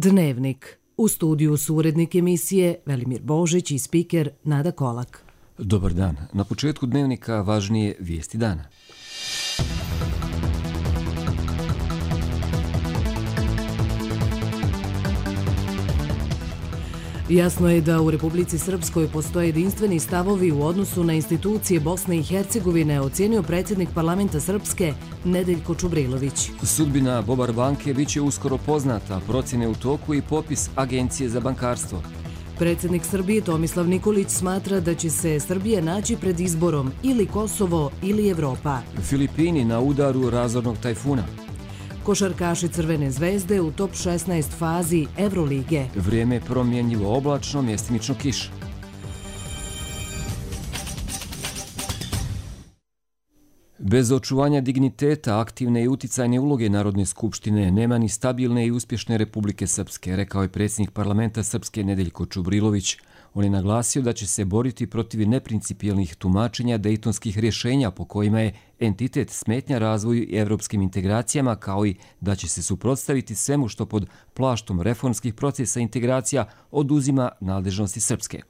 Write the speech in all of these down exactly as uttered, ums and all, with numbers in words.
Dnevnik. U studiju su urednik emisije Velimir Božić i spiker Nada Kolak. Dobar dan. Na početku Dnevnika važnije vijesti dana. Jasno je da u Republici Srpskoj postoje jedinstveni stavovi u odnosu na institucije Bosne i Hercegovine, ocenio predsjednik parlamenta Srpske Nedeljko Čubrilović. Sudbina Bobar banke bit će uskoro poznata, procjene u toku i popis Agencije za bankarstvo. Predsjednik Srbije Tomislav Nikolić smatra da će se Srbija naći pred izborom ili Kosovo ili Evropa. Filipini na udaru razornog tajfuna. Košarkaši Crvene zvezde u top šesnaest fazi Evrolige. Vrijeme promjenjivo oblačno, mjestimično kiša. Bez očuvanja digniteta, aktivne i uticajne uloge Narodne skupštine nema ni stabilne i uspješne Republike Srpske, rekao je predsjednik parlamenta Srpske Nedeljko Čubrilović. On je naglasio da će se boriti protiv neprincipijelnih tumačenja dejtonskih rješenja po kojima je entitet smetnja razvoju i evropskim integracijama, kao i da će se suprotstaviti svemu što pod plaštom reformskih procesa integracija oduzima nadležnosti Srpske.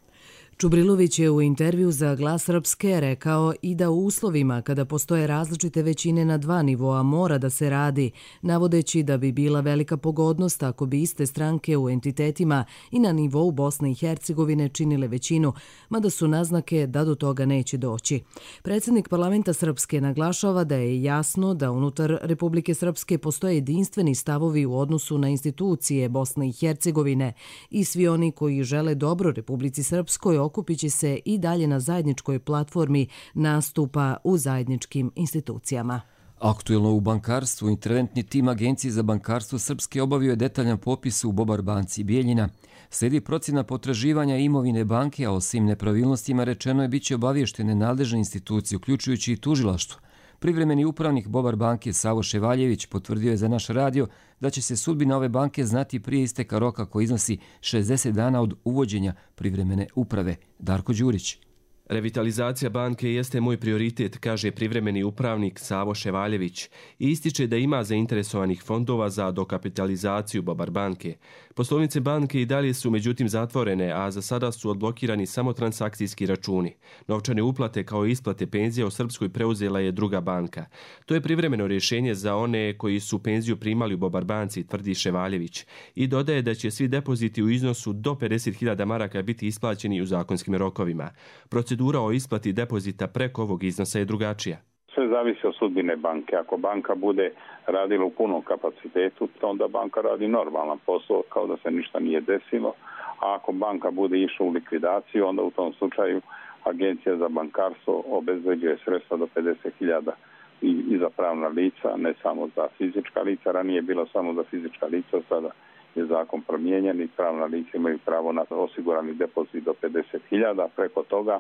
Čubrilović je u intervju za Glas Srpske rekao i da u uslovima kada postoje različite većine na dva nivoa mora da se radi, navodeći da bi bila velika pogodnost ako bi iste stranke u entitetima i na nivou Bosne i Hercegovine činile većinu, mada su naznake da do toga neće doći. Predsjednik parlamenta Srpske naglašava da je jasno da unutar Republike Srpske postoje jedinstveni stavovi u odnosu na institucije Bosne i Hercegovine i svi oni koji žele dobro Republici Srpskoj okupit će se i dalje na zajedničkoj platformi nastupa u zajedničkim institucijama. Aktuelno u bankarstvu, interventni tim Agencije za bankarstvo Srpske obavio je detaljan popis u Bobar banci Bijeljina. Slijedi procjena potraživanja imovine banke, a o svim nepravilnostima rečeno je bit će obavještene nadležne institucije, uključujući i tužilaštvo. Privremeni upravnik Bobar banke Savo Ševaljević potvrdio je za naš radio da će se sudbina ove banke znati prije isteka roka koji iznosi šezdeset dana od uvođenja privremene uprave. Darko Đurić. Revitalizacija banke jeste moj prioritet, kaže privremeni upravnik Savo Ševaljević i ističe da ima zainteresovanih fondova za dokapitalizaciju Bobar banke. Poslovnice banke i dalje su međutim zatvorene, a za sada su odblokirani samo transakcijski računi. Novčane uplate kao i isplate penzija u Srpskoj preuzela je druga banka. To je privremeno rješenje za one koji su penziju primali u Bobar banci, tvrdi Ševaljević, i dodaje da će svi depoziti u iznosu do pedeset hiljada maraka biti isplaćeni u zakonskim rokovima. Procedura o isplati depozita preko ovog iznosa je drugačija. Sve zavisi od sudbine banke. Ako banka bude radila u punom kapacitetu, onda banka radi normalan posao kao da se ništa nije desilo. A ako banka bude išla u likvidaciju, onda u tom slučaju Agencija za bankarstvo obezbeđuje sredstva do pedeset hiljada i, i za pravna lica, ne samo za fizička lica. Ranije je bilo samo za fizička lica, sada je zakon promijenjen i pravna lica imaju pravo na osigurani depozit do pedeset hiljada. Preko toga,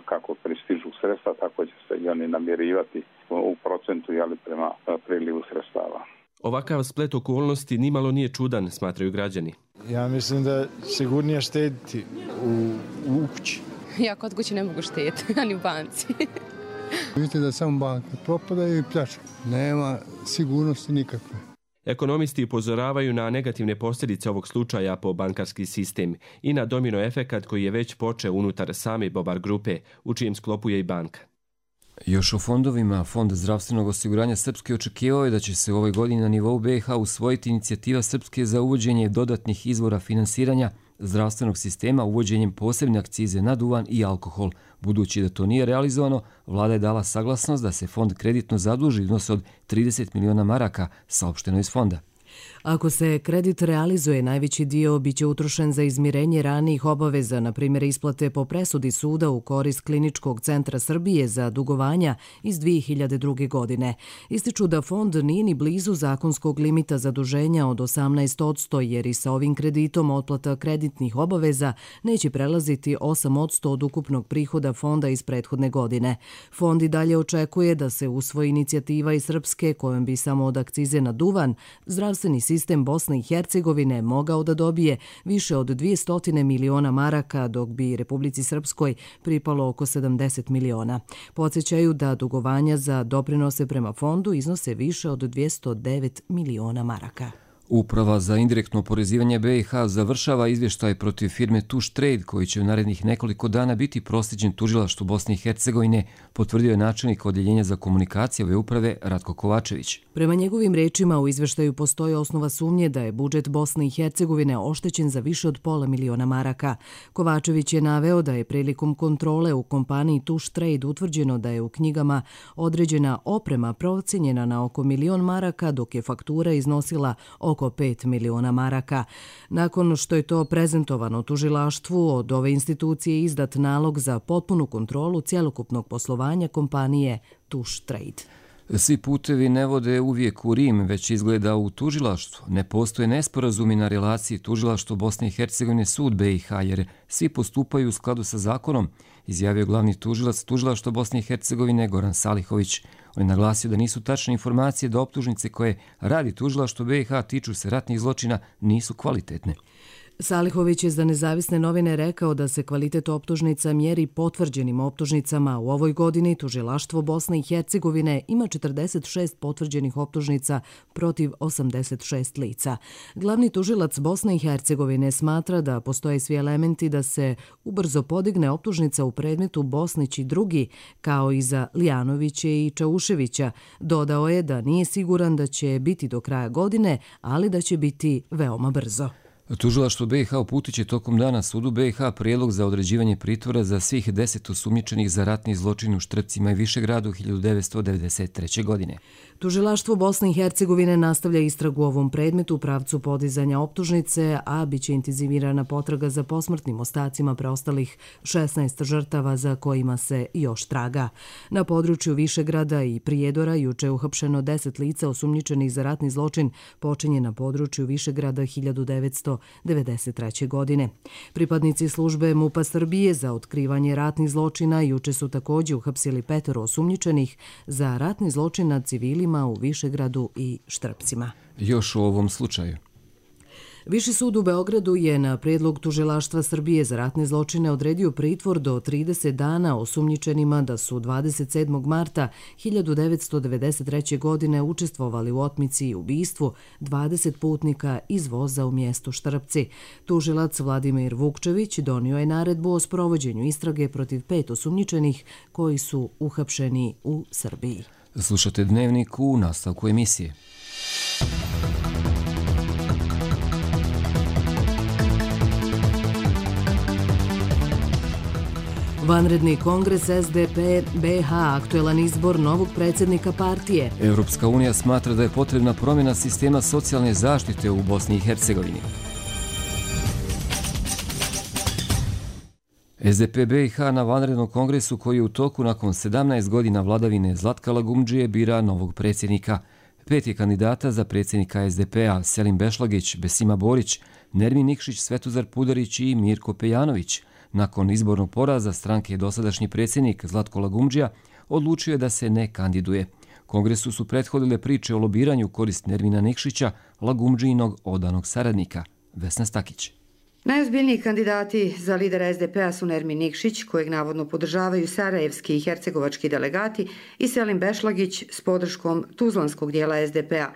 kako pristižu sredstva, tako će se i oni namirivati u procentu jeli, prema prilivu sredstava. Ovakav splet okolnosti nimalo nije čudan, smatraju građani. Ja mislim da sigurnije štediti u, u kući. Ja kod kući ne mogu štediti, ani u banci. Vidite da samo banke propadaju i pljačku. Nema sigurnosti nikakve. Ekonomisti upozoravaju na negativne posljedice ovog slučaja po bankarski sistem i na domino efekat koji je već počeo unutar same Bobar grupe, u čijem sklopu je i banka. Još o fondovima, Fond zdravstvenog osiguranja Srpske očekivao je da će se u ovoj godini na nivou B iH usvojiti inicijativa Srpske za uvođenje dodatnih izvora finansiranja zdravstvenog sistema uvođenjem posebne akcize na duvan i alkohol. Budući da to nije realizovano, vlada je dala saglasnost da se fond kreditno zaduži iznos od trideset miliona maraka, saopšteno iz fonda. Ako se kredit realizuje, najveći dio biće utrošen za izmirenje ranijih obaveza, na primjer isplate po presudi suda u korist Kliničkog centra Srbije za dugovanja iz dvije hiljade druge. godine. Ističu da fond nije ni blizu zakonskog limita zaduženja od osamnaest posto, jer i sa ovim kreditom otplata kreditnih obaveza neće prelaziti osam posto od ukupnog prihoda fonda iz prethodne godine. Fond i dalje očekuje da se usvoji inicijativa iz Srpske kojom bi samo od akcize na duvan zdravstveni sistem sistem Bosne i Hercegovine mogao da dobije više od dvjesto miliona maraka, dok bi Republici Srpskoj pripalo oko sedamdeset miliona. Podsjećaju da dugovanja za doprinose prema fondu iznose više od dvjesto devet miliona maraka. Uprava za indirektno oporezivanje B i H završava izvještaj protiv firme Tuš Trade koji će u narednih nekoliko dana biti proslijeđen tužilaštvu Bosne i Hercegovine, potvrdio je načelnik Odjeljenja za komunikacije ove uprave Ratko Kovačević. Prema njegovim rečima u izvještaju postoji osnova sumnje da je budžet Bosne i Hercegovine oštećen za više od pola miliona maraka. Kovačević je naveo da je prilikom kontrole u kompaniji Tuš Trade utvrđeno da je u knjigama određena oprema procijenjena na oko milion maraka, dok je faktura iznosila oko pet miliona maraka. Nakon što je to prezentovano tužilaštvu, od ove institucije izdat nalog za potpunu kontrolu cjelokupnog poslovanja kompanije Tuš Trade. Svi putevi ne vode uvijek u Rim, već izgleda u tužilaštvu. Ne postoje nesporazumi na relaciji tužilaštvo Bosne i Hercegovine sud B i H, jer svi postupaju u skladu sa zakonom, izjavio glavni tužilac tužilaštva Bosne i Hercegovine Goran Salihović. On je naglasio da nisu tačne informacije da optužnice koje radi tužilaštvo B i H tiču se ratnih zločina nisu kvalitetne. Salihović je za Nezavisne novine rekao da se kvalitet optužnica mjeri potvrđenim optužnicama. U ovoj godini tužilaštvo Bosne i Hercegovine ima četrdeset šest potvrđenih optužnica protiv osamdeset šest lica. Glavni tužilac Bosne i Hercegovine smatra da postoje svi elementi da se ubrzo podigne optužnica u predmetu Bosnić i drugi, kao i za Lijanovića i Čauševića. Dodao je da nije siguran da će biti do kraja godine, ali da će biti veoma brzo. Tužilaštvo B i H uputit će tokom dana sudu B i H prijedlog za određivanje pritvora za svih deset osumnjičenih za ratni zločin u Štrpcima i Višegradu hiljadu devetsto devedeset treće. godine. Tužilaštvo Bosne i Hercegovine nastavlja istragu u ovom predmetu u pravcu podizanja optužnice, a bit će intenzivirana potraga za posmrtnim ostacima preostalih šesnaest žrtava za kojima se još traga. Na području Višegrada i Prijedora juče je uhapšeno deset lica osumnjičenih za ratni zločin počinjen na području Višegrada hiljadu devetsto devedeset treće. godine. Pripadnici službe MUP-a Srbije za otkrivanje ratnih zločina juče su također uhapsili petero osumnjičenih za ratni zločin nad civilima u Višegradu i Štrpcima. Još u ovom slučaju. Viši sud u Beogradu je na prijedlog tužilaštva Srbije za ratne zločine odredio pritvor do trideset dana osumnjičenima da su dvadeset sedmog marta hiljadu devetsto devedeset treće. godine učestvovali u otmici i ubistvu dvadeset putnika iz voza u mjestu Štrpci. Tužilac Vladimir Vukčević donio je naredbu o sprovođenju istrage protiv pet osumnjičenih koji su uhapšeni u Srbiji. Slušate Dnevnik u nastavku emisije. Vanredni kongres S D P B H, aktuelan izbor novog predsjednika partije. Europska unija smatra da je potrebna promjena sistema socijalne zaštite u Bosni i Hercegovini. S D P B i H na vanrednom kongresu koji je u toku nakon sedamnaest godina vladavine Zlatka Lagumdžije bira novog predsjednika. Pet je kandidata za predsjednika S D P-a: Selim Bešlagić, Besima Borić, Nermin Nikšić, Svetozar Pudarić i Mirko Pejanović. Nakon izbornog poraza stranke dosadašnji predsjednik Zlatko Lagumdžija odlučio je da se ne kandiduje. Kongresu su prethodile priče o lobiranju u korist Nermina Nikšića, Lagumdžijinog odanog saradnika. Vesna Stakić. Najozbiljniji kandidati za lidera S D P-a su Nermin Nikšić, kojeg navodno podržavaju sarajevski i hercegovački delegati, i Selim Bešlagić s podrškom tuzlanskog dijela S D P-a.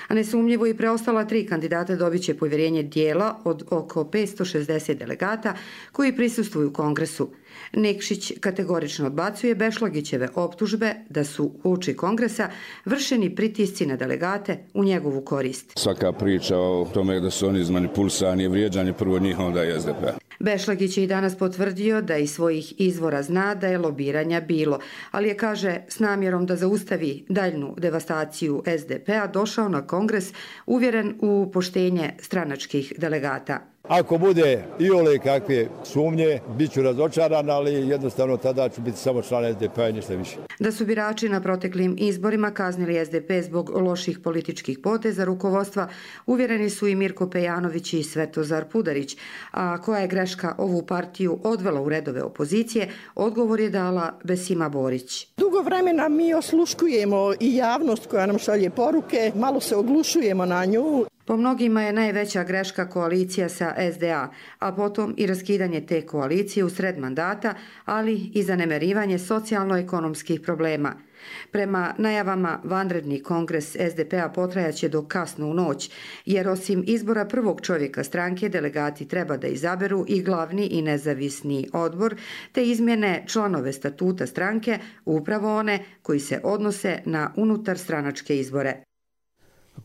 A nesumnjivo i preostala tri kandidata dobit će povjerenje dijela od oko petsto šezdeset delegata koji prisustvuju kongresu. Nikšić kategorično odbacuje Bešlagićeve optužbe da su uoči kongresa vršeni pritisci na delegate u njegovu korist. Svaka priča o tome da su oni izmanipulisani je vrijeđanje prvo njih, onda i S D P-a. Bešlagić je i danas potvrdio da iz svojih izvora zna da je lobiranja bilo, ali je, kaže, s namjerom da zaustavi daljnu devastaciju S D P-a došao na kongres uvjeren u poštenje stranačkih delegata. Ako bude i ole kakve sumnje, bit ću razočaran, ali jednostavno tada ću biti samo član S D P-a i ništa više. Da su birači na proteklim izborima kaznili S D P zbog loših političkih poteza rukovodstva, uvjereni su i Mirko Pejanović i Svetozar Pudarić, a koja je greška ovu partiju odvela u redove opozicije, odgovor je dala Besima Borić. Dugo vremena mi osluškujemo i javnost koja nam šalje poruke, malo se oglušujemo na nju. Po mnogima je najveća greška koalicija sa S D A, a potom i raskidanje te koalicije u sred mandata, ali i zanemarivanje socijalno-ekonomskih problema. Prema najavama, vanredni kongres S D P-a potrajaće do kasno u noć, jer osim izbora prvog čovjeka stranke, delegati treba da izaberu i glavni i nezavisni odbor, te izmjene članove statuta stranke, upravo one koji se odnose na unutarstranačke izbore.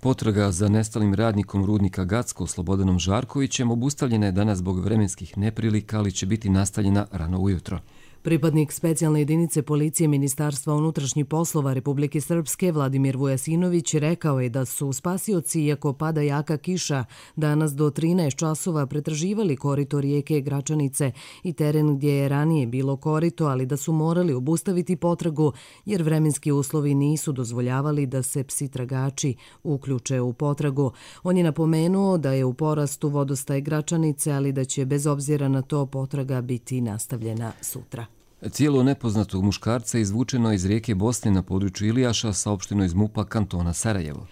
Potraga za nestalim radnikom rudnika Gacko Slobodanom Žarkovićem obustavljena je danas zbog vremenskih neprilika, ali će biti nastavljena rano ujutro. Pripadnik specijalne jedinice policije Ministarstva unutrašnjih poslova Republike Srpske Vladimir Vujasinović rekao je da su spasioci, iako pada jaka kiša, danas do trinaest časova pretraživali korito rijeke Gračanice i teren gdje je ranije bilo korito, ali da su morali obustaviti potragu jer vremenski uslovi nisu dozvoljavali da se psi tragači uključe u potragu. On je napomenuo da je u porastu vodostaj Gračanice, ali da će bez obzira na to potraga biti nastavljena sutra. Tijelo nepoznatog muškarca izvučeno iz rijeke Bosne na području Ilijaša, saopšteno iz MUP-a kantona Sarajevo.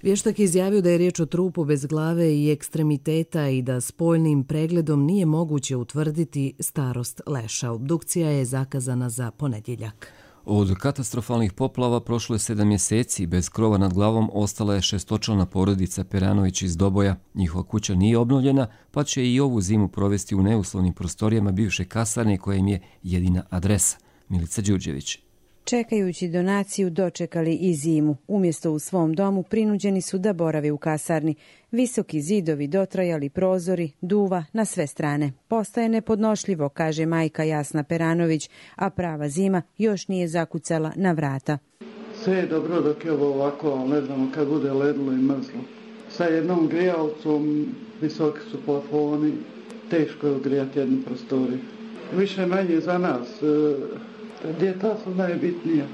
Vještak je izjavio da je riječ o trupu bez glave i ekstremiteta i da spoljnim pregledom nije moguće utvrditi starost leša. Obdukcija je zakazana za ponedjeljak. Od katastrofalnih poplava prošlo je sedam mjeseci. Bez krova nad glavom ostala je šestočlana porodica Peranović iz Doboja. Njihova kuća nije obnovljena, pa će i ovu zimu provesti u neuslovnim prostorijama bivše kasarne koja im je jedina adresa. Milica Đurđević. Čekajući donaciju dočekali i zimu. Umjesto u svom domu prinuđeni su da borave u kasarni. Visoki zidovi, dotrajali prozori, duva na sve strane. Postaje nepodnošljivo, kaže majka Jasna Peranović, a prava zima još nije zakucala na vrata. Sve je dobro dok je ovo ovako, ali ne znamo kad bude ledilo i mrzlo. Sa jednom grijalcom, visoki su plafoni, teško je ugrijati jednu prostoriju. Više manje za nas. Djeta su najbitnija.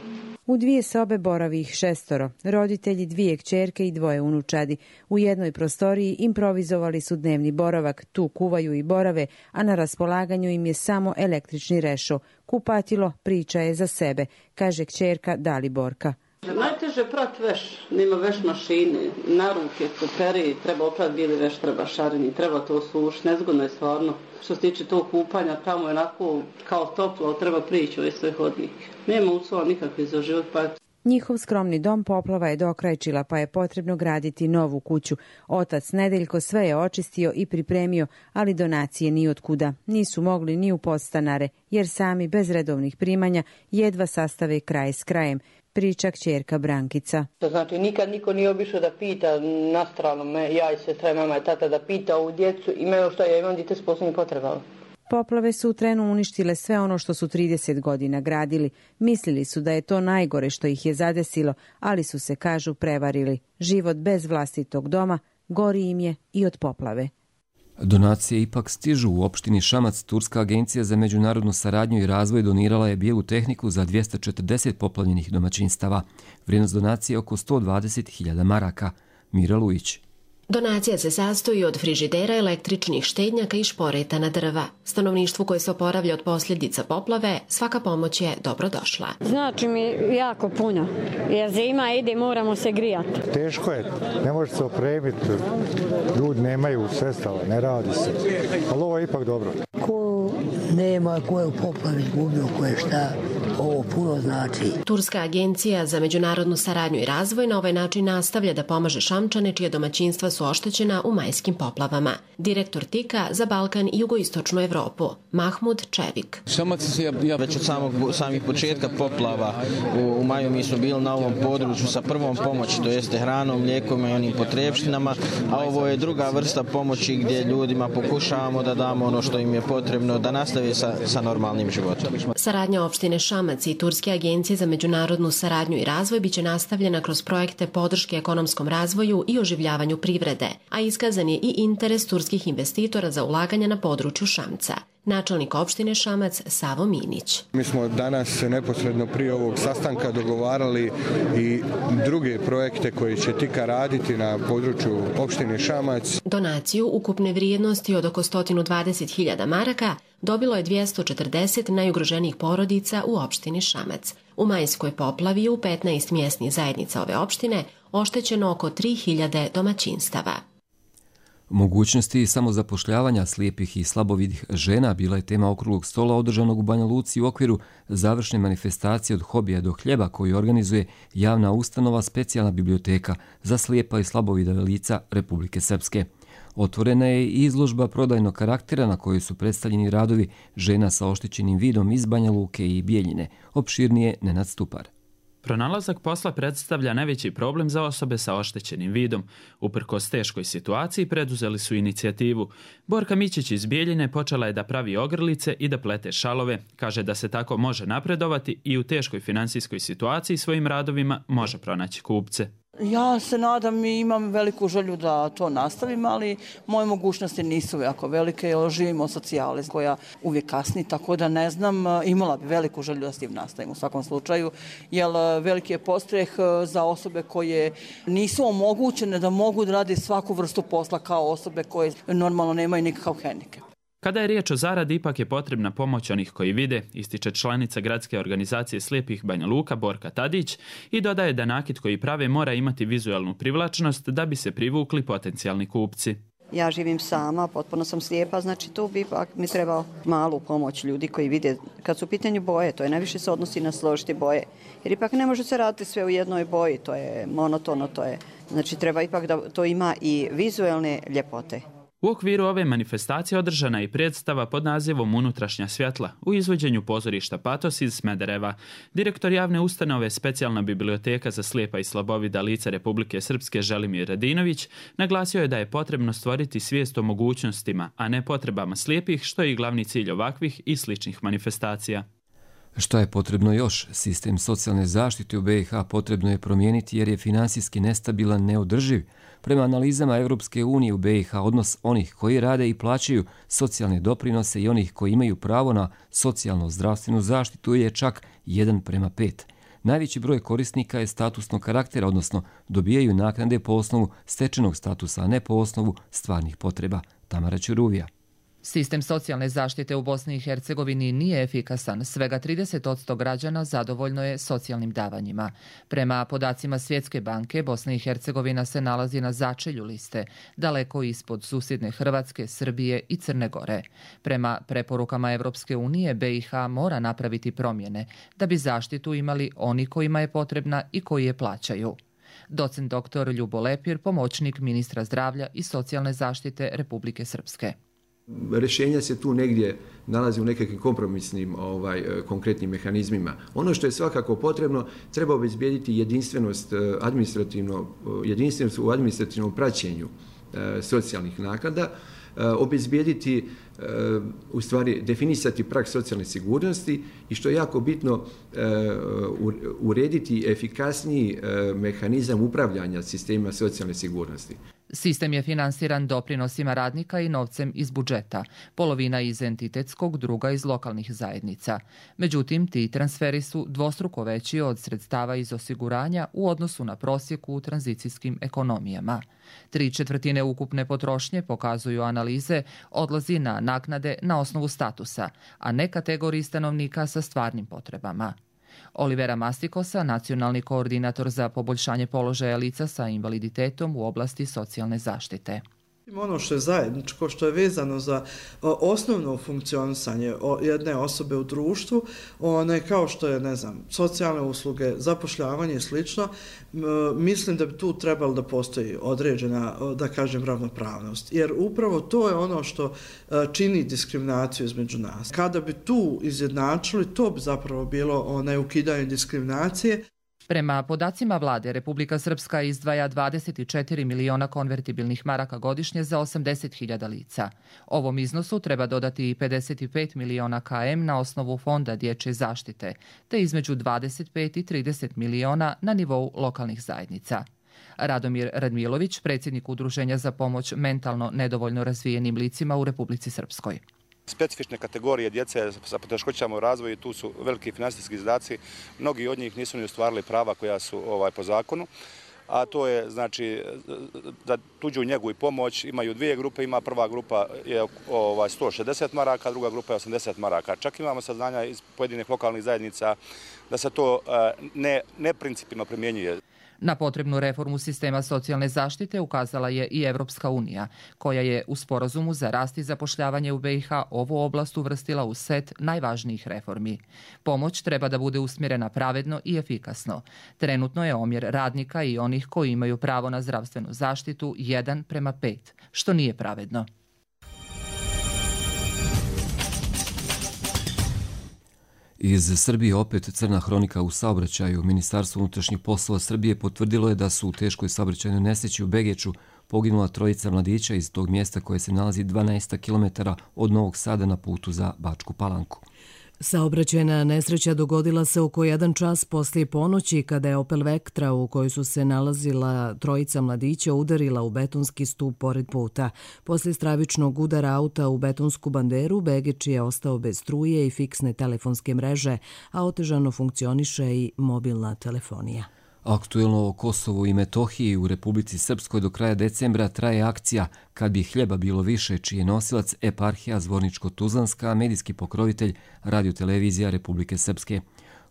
U dvije sobe boravi ih šestoro, roditelji, dvije kćerke i dvoje unučadi. U jednoj prostoriji improvizovali su dnevni boravak, tu kuvaju i borave, a na raspolaganju im je samo električni rešo. Kupatilo priča je za sebe, kaže kćerka Daliborka. Najteže prat veš, nema veš mašine, na ruke, koperi, treba oprat bili veš, treba šarini, treba to suš, nezgodno je stvarno. Što se tiče tog kupanja, tamo je onako kao toplo, treba prići ove sve hodnike. Nema uslova nikakve za život, pa Njihov skromni dom poplava je dokrajčila, pa je potrebno graditi novu kuću. Otac Nedeljko sve je očistio i pripremio, ali donacije ni otkuda. Nisu mogli ni u podstanare, jer sami bez redovnih primanja jedva sastave kraj s krajem, priča kćerka Brankica. Znači, nikad niko nije obišao da pita na stranu me, ja i sestra, mama i tata, da pita ovu djecu, imaju što ja imam dite s posebnim potrebama. Poplave su u trenu uništile sve ono što su trideset godina gradili. Mislili su da je to najgore što ih je zadesilo, ali su se, kažu, prevarili. Život bez vlastitog doma gori im je i od poplave. Donacije ipak stižu. U opštini Šamac Turska agencija za međunarodnu saradnju i razvoj donirala je bijelu tehniku za dvjesto četrdeset poplavljenih domaćinstava. Vrijednost donacije je oko sto dvadeset hiljada maraka. Mira Lujić. Donacija se sastoji od frižidera, električnih štednjaka i šporeta na drva. Stanovništvu koje se oporavlja od posljedica poplave, svaka pomoć je dobrodošla. Znači mi jako puno, jer zima ide, moramo se grijati. Teško je, ne može se opremiti, ljudi nemaju sredstava, ne radi se, ali ovo je ipak dobro. Ko nema, ko je u poplavi gubio, ko je šta, ovo puno znači. Turska agencija za međunarodnu saradnju i razvoj na ovaj način nastavlja da pomaže Šamčane čije domaćinstva su oštećena u majskim poplavama. Direktor Tika za Balkan i jugoistočnu Evropu, Mahmud Čevik. Šamac je ja već od samog, samih početka poplava u, u maju mi smo bili na ovom području sa prvom pomoći, to jeste hranom, mlijekom i onim potrebštinama, a ovo je druga vrsta pomoći gdje ljudima pokušavamo da damo ono što im je potrebno da nastave sa, sa normalnim životom. Saradnja opštine Šamac i Turske agencije za međunarodnu saradnju i razvoj biće nastavljena kroz projekte podrške ekonomskom razvoju i oživljavanju privrede, a iskazan je i interes turskih investitora za ulaganja na području Šamca. Načelnik opštine Šamac Savo Minić. Mi smo danas neposredno prije ovog sastanka dogovarali i druge projekte koje će Tika raditi na području opštine Šamac. Donaciju ukupne vrijednosti od oko sto dvadeset hiljada maraka dobilo je dvjesto četrdeset najugroženijih porodica u opštini Šamac. U majskoj poplavi u petnaest mjesnih zajednica ove opštine oštećeno oko tri hiljade domaćinstava. Mogućnosti samozapošljavanja slijepih i slabovidih žena bila je tema okruglog stola održanog u Banja Luci u okviru završne manifestacije od hobija do hljeba koju organizuje javna ustanova Specijalna biblioteka za slijepa i slabovida lica Republike Srpske. Otvorena je i izložba prodajnog karaktera na kojoj su predstavljeni radovi žena sa oštećenim vidom iz Banja Luke i Bijeljine. Opširnije Nenad Stupar. Pronalazak posla predstavlja najveći problem za osobe sa oštećenim vidom. Uprkos teškoj situaciji preduzeli su inicijativu. Borka Mićić iz Bijeljine počela je da pravi ogrlice i da plete šalove. Kaže da se tako može napredovati i u teškoj finansijskoj situaciji svojim radovima može pronaći kupce. Ja se nadam i imam veliku želju da to nastavim, ali moje mogućnosti nisu jako velike jer živimo od socijale koja uvijek kasni, tako da ne znam, imala bi veliku želju da s tim nastavim u svakom slučaju, jer veliki je postreh za osobe koje nisu omogućene da mogu da radi svaku vrstu posla kao osobe koje normalno nemaju nikakav hendikep. Kada je riječ o zaradi, ipak je potrebna pomoć onih koji vide, ističe članica Gradske organizacije slijepih Banja Luka Borka Tadić i dodaje da nakit koji prave mora imati vizualnu privlačnost da bi se privukli potencijalni kupci. Ja živim sama, potpuno sam slijepa, znači tu bi ipak mi trebao malu pomoć ljudi koji vide. Kad su u pitanju boje, to je najviše se odnosi na složiti boje, jer ipak ne može se raditi sve u jednoj boji, to je monotono, to je, znači treba ipak da to ima i vizualne ljepote. U okviru ove manifestacije održana je i predstava pod nazivom Unutrašnja svjetla u izvođenju pozorišta Patos iz Smedereva. Direktor javne ustanove Specijalna biblioteka za slijepa i slabovida lica Republike Srpske Želimir Radinović naglasio je da je potrebno stvoriti svijest o mogućnostima, a ne potrebama slijepih, što je i glavni cilj ovakvih i sličnih manifestacija. Što je potrebno još? Sistem socijalne zaštite u B i H potrebno je promijeniti jer je finansijski nestabilan, neodrživ. Prema analizama Europske unije u B i H odnos onih koji rade i plaćaju socijalne doprinose i onih koji imaju pravo na socijalno-zdravstvenu zaštitu je čak jedan prema pet. Najveći broj korisnika je statusnog karaktera, odnosno dobijaju naknade po osnovu stečenog statusa, a ne po osnovu stvarnih potreba. Tamara Ćuruvija. Sistem socijalne zaštite u Bosni i Hercegovini nije efikasan. Svega trideset posto građana zadovoljno je socijalnim davanjima. Prema podacima Svjetske banke, Bosna i Hercegovina se nalazi na začelju liste, daleko ispod susjedne Hrvatske, Srbije i Crne Gore. Prema preporukama Evropske unije, B i H mora napraviti promjene da bi zaštitu imali oni kojima je potrebna i koji je plaćaju. Docent doktor Ljubo Lepir, pomoćnik ministra zdravlja i socijalne zaštite Republike Srpske. Rješenja se tu negdje nalazi u nekakvim kompromisnim ovaj, konkretnim mehanizmima. Ono što je svakako potrebno, treba obezbijediti jedinstvenost administrativno, jedinstvenost u administrativnom praćenju e, socijalnih naknada, e, obezbijediti, e, u stvari definisati prag socijalne sigurnosti i što je jako bitno e, urediti efikasniji e, mehanizam upravljanja sistema socijalne sigurnosti. Sistem je finansiran doprinosima radnika i novcem iz budžeta, polovina iz entitetskog, druga iz lokalnih zajednica. Međutim, ti transferi su dvostruko veći od sredstava iz osiguranja u odnosu na prosjeku u tranzicijskim ekonomijama. Tri četvrtine ukupne potrošnje, pokazuju analize, odlazi na naknade na osnovu statusa, a ne kategoriji stanovnika sa stvarnim potrebama. Olivera Mastikosa, nacionalni koordinator za poboljšanje položaja lica sa invaliditetom u oblasti socijalne zaštite. Ono što je zajedničko, što je vezano za osnovno funkcionisanje jedne osobe u društvu, one kao što je, ne znam, socijalne usluge, zapošljavanje i slično, mislim da bi tu trebalo da postoji određena, da kažem, ravnopravnost. Jer upravo to je ono što čini diskriminaciju između nas. Kada bi tu izjednačili, to bi zapravo bilo onaj ukidanje diskriminacije. Prema podacima vlade, Republika Srpska izdvaja dvadeset četiri miliona konvertibilnih maraka godišnje za osamdeset hiljada lica. Ovom iznosu treba dodati i pedeset pet miliona K M na osnovu Fonda dječje zaštite, te između dvadeset pet i trideset miliona na nivou lokalnih zajednica. Radomir Radmilović, predsjednik Udruženja za pomoć mentalno nedovoljno razvijenim licima u Republici Srpskoj. Specifične kategorije djece sa poteškoćama u razvoju, tu su veliki finansijski izdaci, mnogi od njih nisu ni ostvarili prava koja su ovaj, po zakonu, a to je znači za tuđu njegu i pomoć imaju dvije grupe, ima prva grupa je ovaj, sto šezdeset maraka, druga grupa je osamdeset maraka. Čak imamo saznanja iz pojedinih lokalnih zajednica da se to ne, ne principilno primjenjuje. Na potrebnu reformu sistema socijalne zaštite ukazala je i Evropska unija, koja je u sporazumu za rast i zapošljavanje u B i H ovu oblast uvrstila u set najvažnijih reformi. Pomoć treba da bude usmjerena pravedno i efikasno. Trenutno je omjer radnika i onih koji imaju pravo na zdravstvenu zaštitu jedan prema pet, što nije pravedno. Iz Srbije opet crna hronika u saobraćaju. Ministarstvo unutrašnjih poslova Srbije potvrdilo je da su u teškoj saobraćajnoj nesreći u Begeču poginula trojica mladića iz tog mjesta koje se nalazi dvanaest kilometara od Novog Sada na putu za Bačku Palanku. Saobraćajna nesreća dogodila se oko jedan čas poslije ponoći kada je Opel Vectra u kojoj su se nalazila trojica mladića udarila u betonski stup pored puta. Poslije stravičnog udara auta u betonsku banderu, Begeč je ostao bez struje i fiksne telefonske mreže, a otežano funkcioniše i mobilna telefonija. Aktuelno o Kosovu i Metohiji u Republici Srpskoj do kraja decembra traje akcija Kad bi hljeba bilo više, čiji je nosilac eparhija Zvorničko-Tuzlanska, medijski pokrovitelj radiotelevizija Republike Srpske.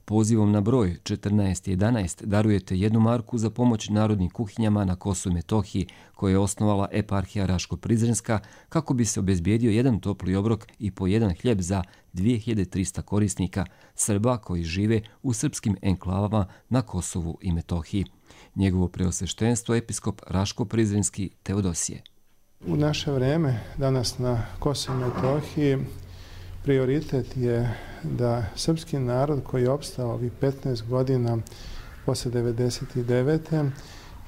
Pozivom na broj četrnaest jedanaest darujete jednu marku za pomoć narodnim kuhinjama na Kosovu i Metohiji koje je osnovala eparhija Raško-Prizrenska kako bi se obezbijedio jedan topli obrok i po jedan hljeb za dvije hiljade trista korisnika Srba koji žive u srpskim enklavama na Kosovu i Metohiji. Njegovo preosveštenstvo episkop Raško-Prizrenski Teodosije. U naše vreme, danas na Kosovu i Metohiji, prioritet je da srpski narod koji je opstao ovih petnaest godina posle devedeset devete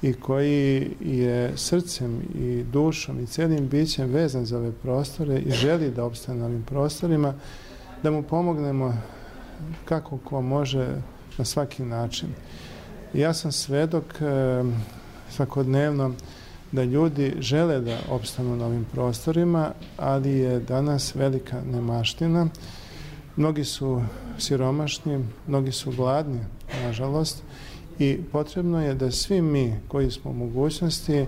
i koji je srcem i dušom i cijelim bićem vezan za ove prostore i želi da opstane na ovim prostorima, da mu pomognemo kako ko može na svaki način. Ja sam svedok svakodnevno da ljudi žele da opstanu na ovim prostorima, ali je danas velika nemaština. Mnogi su siromašni, mnogi su gladni, nažalost, i potrebno je da svi mi koji smo u mogućnosti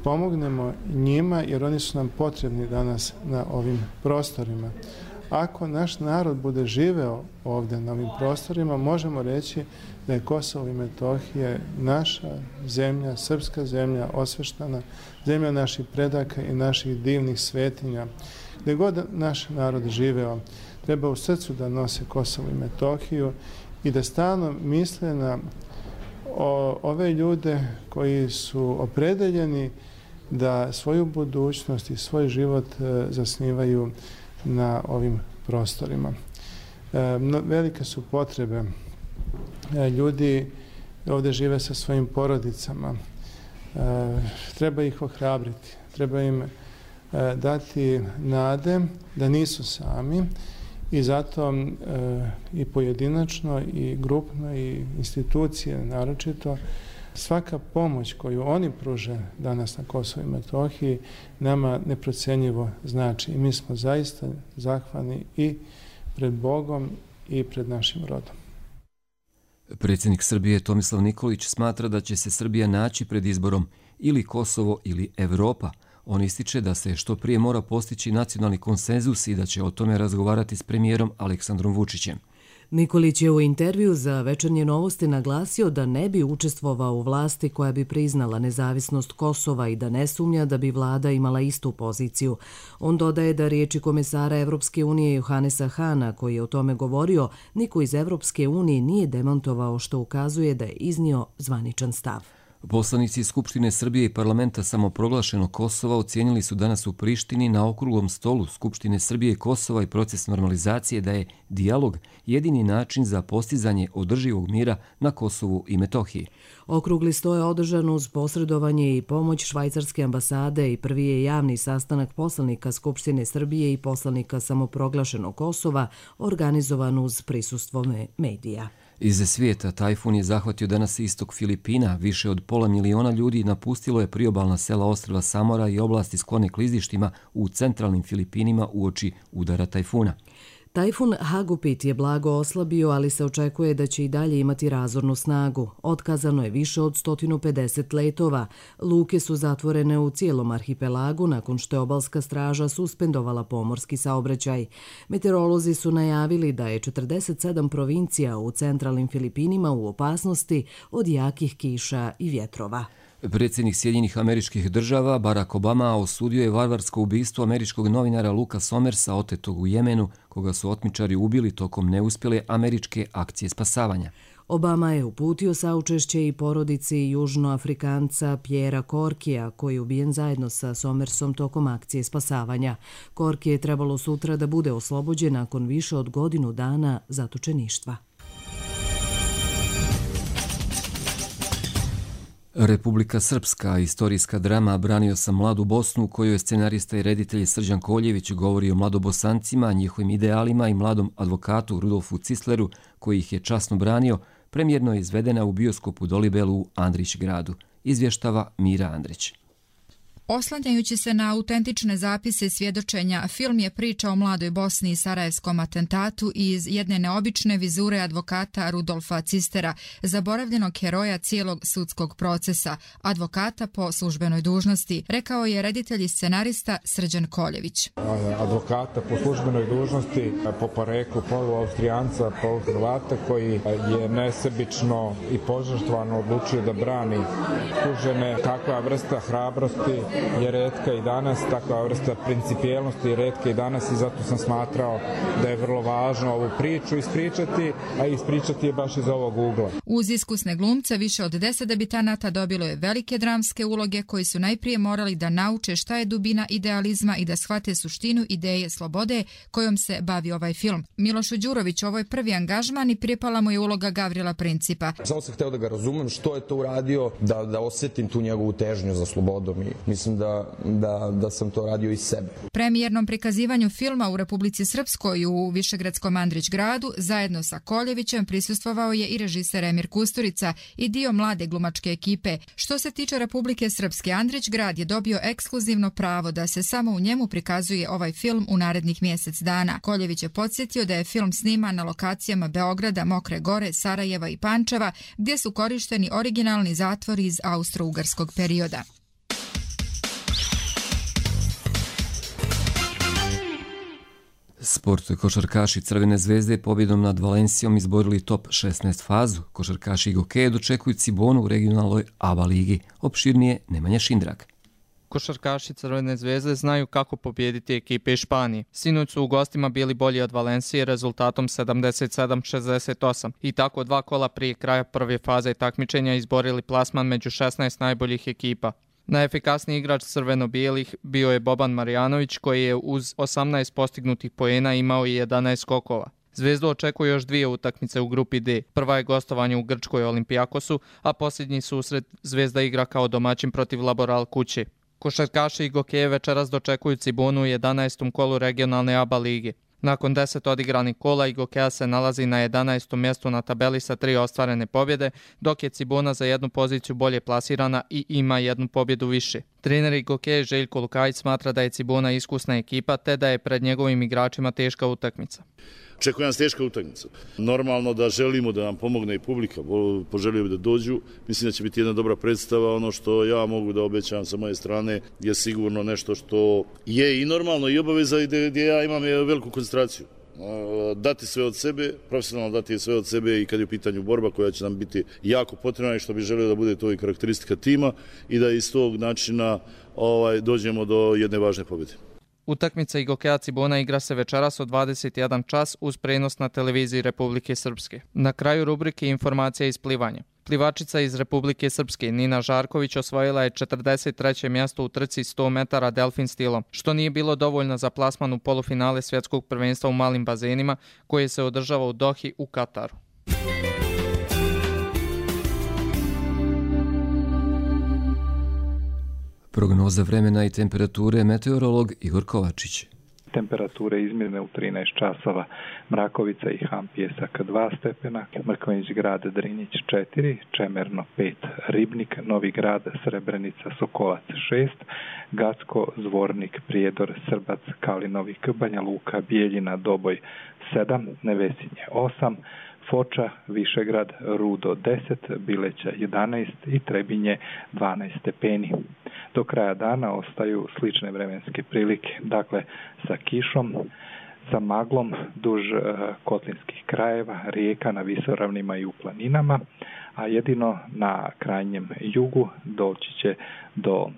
pomognemo njima, jer oni su nam potrebni danas na ovim prostorima. Ako naš narod bude živeo ovdje na ovim prostorima, možemo reći da je Kosovo i Metohija naša zemlja, srpska zemlja, osveštana, zemlja naših predaka i naših divnih svetinja. Gdje god naš narod živeo, treba u srcu da nose Kosovo i Metohiju i da stalno misle na o, ove ljude koji su opredeljeni da svoju budućnost i svoj život e, zasnivaju na ovim prostorima. E, no, velike su potrebe. E, ljudi ovdje žive sa svojim porodicama. E, treba ih ohrabriti. Treba im e, dati nade da nisu sami i zato e, i pojedinačno i grupno i institucije naročito svaka pomoć koju oni pruže danas na Kosovu i Metohiji nama neprocenjivo znači i mi smo zaista zahvalni i pred Bogom i pred našim rodom. Predsjednik Srbije Tomislav Nikolić smatra da će se Srbija naći pred izborom ili Kosovo ili Evropa. On ističe da se što prije mora postići nacionalni konsenzus i da će o tome razgovarati s premijerom Aleksandrom Vučićem. Nikolić je u intervju za Večernje novosti naglasio da ne bi učestvovao u vlasti koja bi priznala nezavisnost Kosova i da ne sumnja da bi vlada imala istu poziciju. On dodaje da riječi komesara Evropske unije Johanesa Hana, koji je o tome govorio, niko iz Evropske unije nije demantovao, što ukazuje da je iznio zvaničan stav. Poslanici Skupštine Srbije i parlamenta samoproglašenog Kosova ocijenili su danas u Prištini na okruglom stolu Skupštine Srbije i Kosova i proces normalizacije da je dijalog jedini način za postizanje održivog mira na Kosovu i Metohiji. Okrugli sto je održan uz posredovanje i pomoć švajcarske ambasade i prvi je javni sastanak poslanika Skupštine Srbije i poslanika samoproglašenog Kosova organizovan uz prisustvo medija. Iz svijeta tajfun je zahvatio danas istok Filipina. Više od pola miliona ljudi napustilo je priobalna sela ostrva Samora i oblasti sklone klizištima u centralnim Filipinima uoči udara tajfuna. Tajfun Hagupit je blago oslabio, ali se očekuje da će i dalje imati razornu snagu. Otkazano je više od sto pedeset letova. Luke su zatvorene u cijelom arhipelagu nakon što je obalska straža suspendovala pomorski saobraćaj. Meteorolozi su najavili da je četrdeset sedam provincija u centralnim Filipinima u opasnosti od jakih kiša i vjetrova. Predsjednik Sjedinjenih Američkih Država Barack Obama osudio je varvarsko ubistvo američkog novinara Luka Somersa otetog u Jemenu, koga su otmičari ubili tokom neuspjele američke akcije spasavanja. Obama je uputio saučešće i porodici južnoafrikanca Pjera Korkija, koji je ubijen zajedno sa Somersom tokom akcije spasavanja. Korki je trebalo sutra da bude oslobođen nakon više od godinu dana zatočeništva. Republika Srpska, istorijska drama Branio sam mladu Bosnu, u kojoj je scenarista i reditelj Srđan Koljević govori o mladobosancima, njihovim idealima i mladom advokatu Rudolfu Cisleru, koji ih je časno branio, premijerno je izvedena u bioskopu Dolibelu u Andrić gradu. Izvještava Mira Andrić. Oslanjajući se na autentične zapise i svjedočenja, film je priča o mladoj Bosni i sarajevskom atentatu iz jedne neobične vizure advokata Rudolfa Cistera, zaboravljenog heroja cijelog sudskog procesa, advokata po službenoj dužnosti, rekao je reditelj i scenarista Srđan Koljević. Advokata po službenoj dužnosti, po poreklu polu-austrijanca, polu-Hrvata, koji je nesebično i požrtvovano odlučio da brani tužene. Takva vrsta hrabrosti je retka i danas, takva vrsta principijelnosti je retka i danas i zato sam smatrao da je vrlo važno ovu priču ispričati, a ispričati je baš iz ovog ugla. Uz iskusne glumce više od deset debitanata dobilo je velike dramske uloge koji su najprije morali da nauče šta je dubina idealizma i da shvate suštinu ideje slobode kojom se bavi ovaj film. Milošu Đurović, ovo je prvi angažman i pripala mu je uloga Gavrila Principa. Samo sam hteo da ga razumem što je to uradio, da, da osjetim tu njegovu težnju za slobodom i mislim Da, da, da sam to radio iz sebe. Premijernom prikazivanju filma u Republici Srpskoj u Višegradskom Andrić gradu zajedno sa Koljevićem prisustvovao je i režiser Emir Kusturica i dio mlade glumačke ekipe. Što se tiče Republike Srpske, Andrić grad je dobio ekskluzivno pravo da se samo u njemu prikazuje ovaj film u narednih mjesec dana. Koljević je podsjetio da je film sniman na lokacijama Beograda, Mokre Gore, Sarajeva i Pančeva, gdje su korišteni originalni zatvori iz austro-ugarskog perioda. Sport. Košarkaši Crvene zvezde pobjedom nad Valencijom izborili top šesnaest fazu. Košarkaši Gokeje dočekuju Cibonu u regionalnoj A B A ligi. Opširnije Nemanja Šindrak. Košarkaši Crvene zvezde znaju kako pobijediti ekipe iz Španije. Sinoć su u gostima bili bolji od Valencije rezultatom sedamdeset sedam šezdeset osam i tako dva kola prije kraja prve faze takmičenja izborili plasman među šesnaest najboljih ekipa. Najefikasniji igrač crveno-bijelih bio je Boban Marjanović, koji je uz osamnaest postignutih poena imao i jedanaest skokova. Zvezdu očekuje još dvije utakmice u grupi D. Prva je gostovanje u Grčkoj Olimpijakosu, a posljednji susret Zvezda igra kao domaćin protiv Laboral kuće. Košarkaši i Gokeje večeras dočekuju Cibonu u jedanaestom kolu regionalne A B A lige. Nakon deset odigranih kola Igokeja se nalazi na jedanaestom mjestu na tabeli sa tri ostvarene pobjede, dok je Cibona za jednu poziciju bolje plasirana i ima jednu pobjedu više. Trener Igokeje Željko Lukajić smatra da je Cibona iskusna ekipa te da je pred njegovim igračima teška utakmica. Očekuje nas teška utakmica. Normalno da želimo da nam pomogne i publika, poželio bi da dođu. Mislim da će biti jedna dobra predstava. Ono što ja mogu da obećam sa moje strane je sigurno nešto što je i normalno i obaveza i gdje ja imam veliku koncentraciju. Dati sve od sebe, profesionalno dati sve od sebe i kad je u pitanju borba koja će nam biti jako potrebna i što bi želio da bude to i karakteristika tima i da iz tog načina ovaj, dođemo do jedne važne pobjede. Utakmica Igokeja Cibona igra se večeras od dvadeset jedan čas uz prenos na televiziji Republike Srpske. Na kraju rubrike informacija iz plivanja. Plivačica iz Republike Srpske Nina Žarković osvojila je četrdeset treće mjesto u trci sto metara delfin stilom, što nije bilo dovoljno za plasman u polufinale svjetskog prvenstva u malim bazenima koje se održava u Dohi u Kataru. Prognoza vremena i temperature meteorolog Igor Kovačić. temperature izmjerne u trinaest časova, Mrakovica i Ham Pjesak dva stepena, Mrkonjić Grad Drinjić četiri, Čemerno pet, Ribnik, Novi Grad, Srebrenica, Sokolac šest, Gacko, Zvornik, Prijedor, Srbac, Kalinovik, Banja Luka, Bijeljina, Doboj sedam, Nevesinje osam, Foča, Višegrad, Rudo deset, Bileća jedanaest i Trebinje dvanaest stepeni. Do kraja dana ostaju slične vremenske prilike, dakle sa kišom, sa maglom duž kotlinskih krajeva, rijeka na visoravnima i u planinama, a jedino na krajnjem jugu doći će do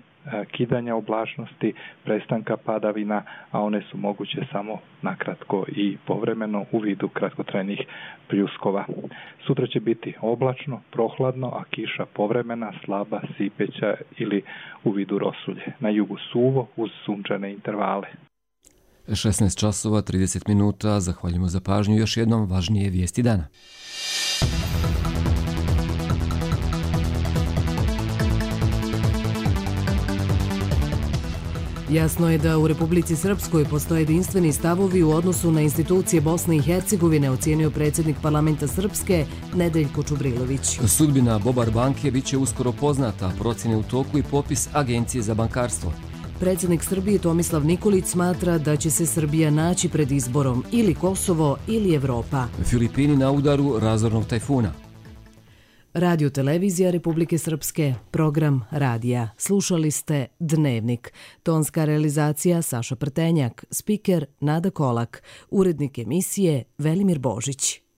kidanja oblačnosti, prestanka padavina, a one su moguće samo nakratko i povremeno u vidu kratkotrajnih pljuskova. Sutra će biti oblačno, prohladno, a kiša povremena, slaba, sipeća ili u vidu rosulje. Na jugu suvo uz sunčane intervale. šesnaest časova trideset minuta, zahvaljujemo za pažnju. Još jednom važnije vijesti dana. Jasno je da u Republici Srpskoj postoje jedinstveni stavovi u odnosu na institucije Bosne i Hercegovine, ocijenio predsjednik parlamenta Srpske Nedeljko Čubrilović. Sudbina Bobar banke bit će uskoro poznata, procjene u toku i popis Agencije za bankarstvo. Predsjednik Srbije Tomislav Nikolić smatra da će se Srbija naći pred izborom ili Kosovo ili Evropa. Filipini na udaru razornog tajfuna. Radio Televizija Republike Srpske, program radija. Slušali ste Dnevnik. Tonska realizacija Saša Prtenjak, spiker Nada Kolak, urednik emisije Velimir Božić.